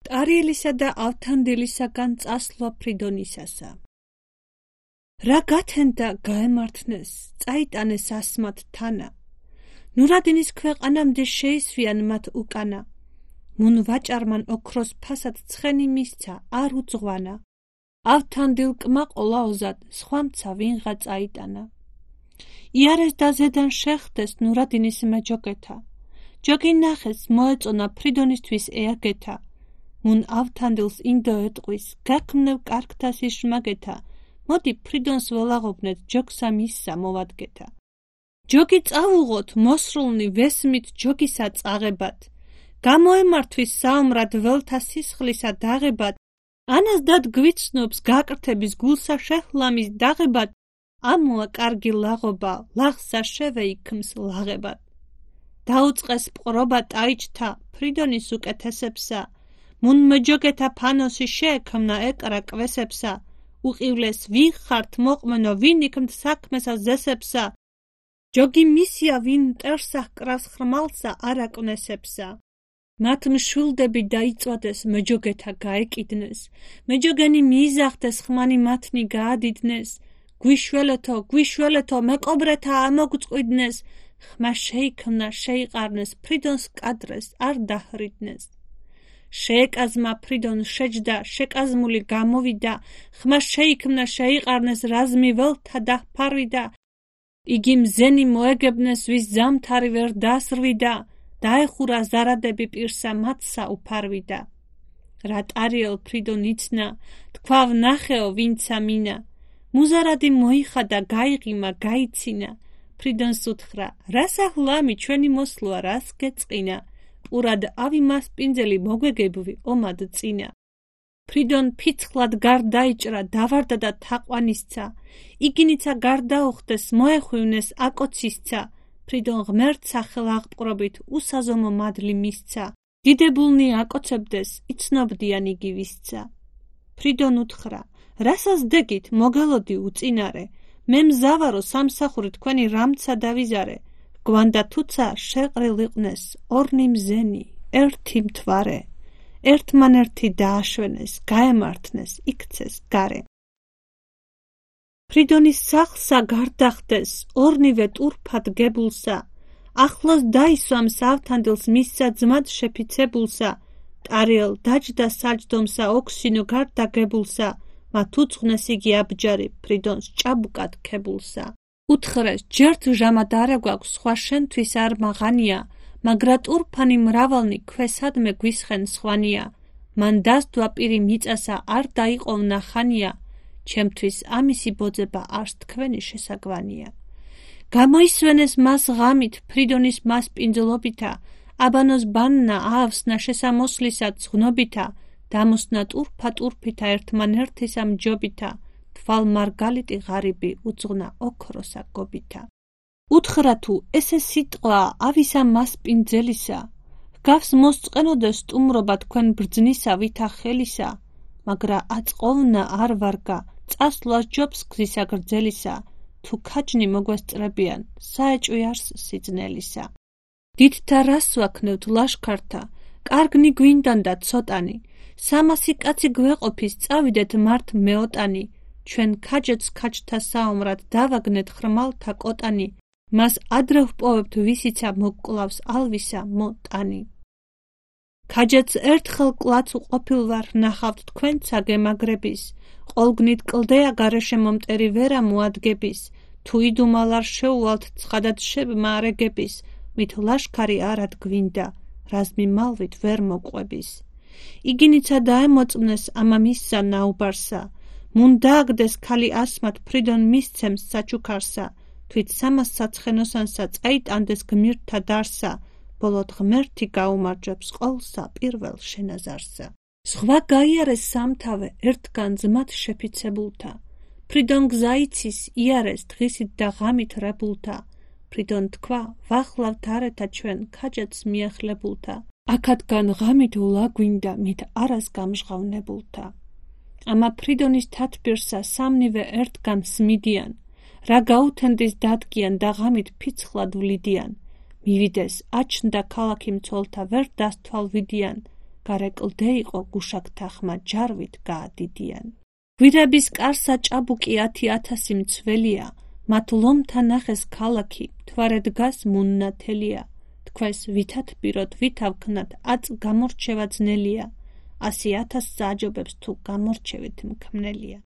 ტარიელისა და ავთანდილისაგან წასვლა ფრიდონისასა. რა გათენდა გაემართნეს, წაიტანეს ასმათ თანა. ნურადინის ქვეყანამდე შეისვიან მათ უკანა. მუნ ვაჭარმან ოქროს ფასად ცხენი მისცა, არ უძღვანა. ავთანდილ კმაყოლა ოზად, სხვამცა ვინღა წაიტანა. იარეს და ზედან შეხდეს ნურადინის მეჯოგეთა. ჯოგი ნახეს მოეწონა ფრიდონისთვის ეაგეთა. მუნ ავთანდილს ინდო ეტყვის, გაქმნევ კარგთას იშმაგეთა. მოდი ფრიდონს ველაღობნეთ, ჯოგსა მისსა მოვადგეთა. ჯოგი წავუღოთ, მოსრულნი ვესმით ჯოგისა წაღებად. გამოემართვის საომრად ველთა სისხლისა დაღებად. ანას დად გვიცნობს გაკრთების გულსა შეჰლამის დაღებად. ამოა კარგი ლაღობა, ლაღსა შევეიქმს ლაღებად. დაუწყეს პყრობა ტაიჭთა, ფრიდონის უკეთესებსა. მუნ მეჯოგეთა ფანოსი შეექმნა ეკრა კვესებსა. უყივლეს ვინ ხართ მოყმენო, ვინ იქმთ საქმესა ზესებსა. ჯოგი მისია ვინ მტერსა ჰკრავს ხრმალსა არაკვნესებსა. მათ მშვილდები დაიწვადეს, მეჯოგეთა გაეკიდნეს. მეჯოგენი მიიზახდეს, ხმანი მათნი გაადიდნეს. გვიშველეთო, მეკობრეთა ამოგწყვიდნეს. ხმა შეიქმნა, შეიყარნეს, ფრიდონს კადრეს არ დაჰრიდნეს. შეეკაზმა ფრიდონ შეჯდა, შეკაზმული გამოვიდა. ხმა შეიქმნა, შეიყარნეს, რაზმი ველთა დაჰფარვიდა. იგი მზენი მოეგებნეს, ვის ზამთარი ვერ დასრვიდა. დაეხურა ზარადები პირსა, მათსა უფარვიდა. რა ტარიელ ფრიდონ იცნა, თქვა ვნახეო ვინცა მინა. მუზარადი მოიხადა, გაიღიმა, გაიცინა. ფრიდონს უთხრა, რასა ჰლამი ჩვენი მოსლოა, რას გეწყინა. ყურად ავი მასპინძელი მოგვეგებვი ომად წინა. ფრიდონ ფიცხლად გარდაიჭრა, დავარდა და თაყვანისცა. იგინიცა გარდაუხდეს, მოეხვივნეს აკოცისცა. ფრიდონ ღმერთ სახელ აღპყრობით, უსაზომო მადლი მისცა. დიდებულნი აკოცებდეს, იცნობდიან იგი ვისცა. ფრიდონ უთხრა, რასას დეგით, მოგელოდი უწინარე. მე მზავარო სამსახური თქვენი რამცა დავიზარე. გვანდა თუცა შეყრილ იყვნეს, ორნი მზენი, ერთი მთვარე. ერთმანერთი დააშვენეს, გაემართნეს, იქცეს გარე. ფრიდონის სახლსა გარდახდეს, ორნივე ტურფად გებულსა. ახლოს დაისვამს ავთანდილს მისსა ძმად შეფიცებულსა. ტარიელ დაჯდა საჯდომსა ოქსინო გარდაგებულსა. მათ უძღნეს იგი აბჯარი, ფრიდონს ჭაბუკად ქებულსა. უთხრეს, ჯერთ ჟამად არა გვაქვს, სხვა შენთვის არ მაღანია. მაგრა ტურფანი მრავალნი ქვესადმე გვისხენ სხვანია. მან დასდვა პირი მიწასა, არ დაიყოვნა ხანია. ჩემთვის ამისი ბოძება არს თქვენი შესაგვანია. გამოისვენეს მას ღამით, ფრიდონის მასპინძლობითა. აბანოს ბანნა აავსნა შესამოსლისა ძღნობითა. დამოსნა ტურფა ტურფითა ერთმანერთისა მჯობითა. თვალ მარგალიტი ღარიბი უძღვნა ოქროსა გობითა. უთხრა თუ ესე სიტყვა ავისა მასპინძელისა. ჰგავს მოსწყენოდეს სტუმრობა თქვენ ბრძნისა ვითა ხელისა. მაგრა აწყოვნა არ ვარგა, წასვლას ჯობს გზისა გრძელისა. თუ ქაჯნი მოგვესწრებიან, საეჭვი არს სიძნელისა. დიდთა რას ვაქნევთ ლაშქართა, კარგნი გვინდან და ცოტანი. 300 კაცი გვეყოფის, წავიდეთ მართ მეოტანი. ჩვენ ქაჯეთს ქაჯთა საომრად დავაგნეთ ხრმალთა კოტანი. მას ადრე ვპოვებთ ვისიცა მოგკლავს ალვისა მოტანი. ქაჯეთს ერთხელ კლაც უყოფილვარ ნახავთ თქვენცა გემაგრების. ყოლგნით კლდეა გარეშე მომტერი ვერა მოადგების. თუ იდუმალ არ შეუვალთ ცხადად შემარეგების. მით ლაშქარი არად გვინდა, რაზმი მალვით ვერ მოყვების. იგინიცა დაემოწმნეს ამა მისსა ნაუბარსა. მუნ დააგდეს ქალი ასმათ ფრიდონ მისცემს საჩუქარსა. თვით 300 საცხენოსანსა წაიტანდეს გმირთა დარსა. ბოლოდ ღმერთი გაუმარჯვებს ყოლსა პირველ შენაზარსა. სხვა გაიარეს სამთავე ერთგან ძმად შეფიცებულთა. ფრიდონ გზაიცის იარეს დღისით და ღამით რებულთა. ფრიდონ თქვა, ვახლავთ არეთა ჩვენ ქაჯეთს მიახლებულთა. აქადგან ღამით ვლაგვინდა მით არას გამჟღავნებულთა. ამა ფრიდონის თათბირსა სამნივე ერთგან სმიდიან. რა გაუთენდის დადგიან და ღამით ფიცხლად ვლიდიან. მივიდეს, აჩნდა ქალაქი მცველთა ვერ დასთვალვიდიან. გარეკლდე იყო გუშაქთა ხმა ჯარვით გაადიდიან. გვირაბის კარსა ჭაბუკი 10,000 მცველია, მათ ლომთა ნახეს ქალაქი, მთვარე დგას მუნნათელია. თქვენს ვითად პიროთ ვითავ ქნათ, აწ გამორჩევა ძნელია, 100,000 სააჯობებს თუ გამორჩევით მქმნელია.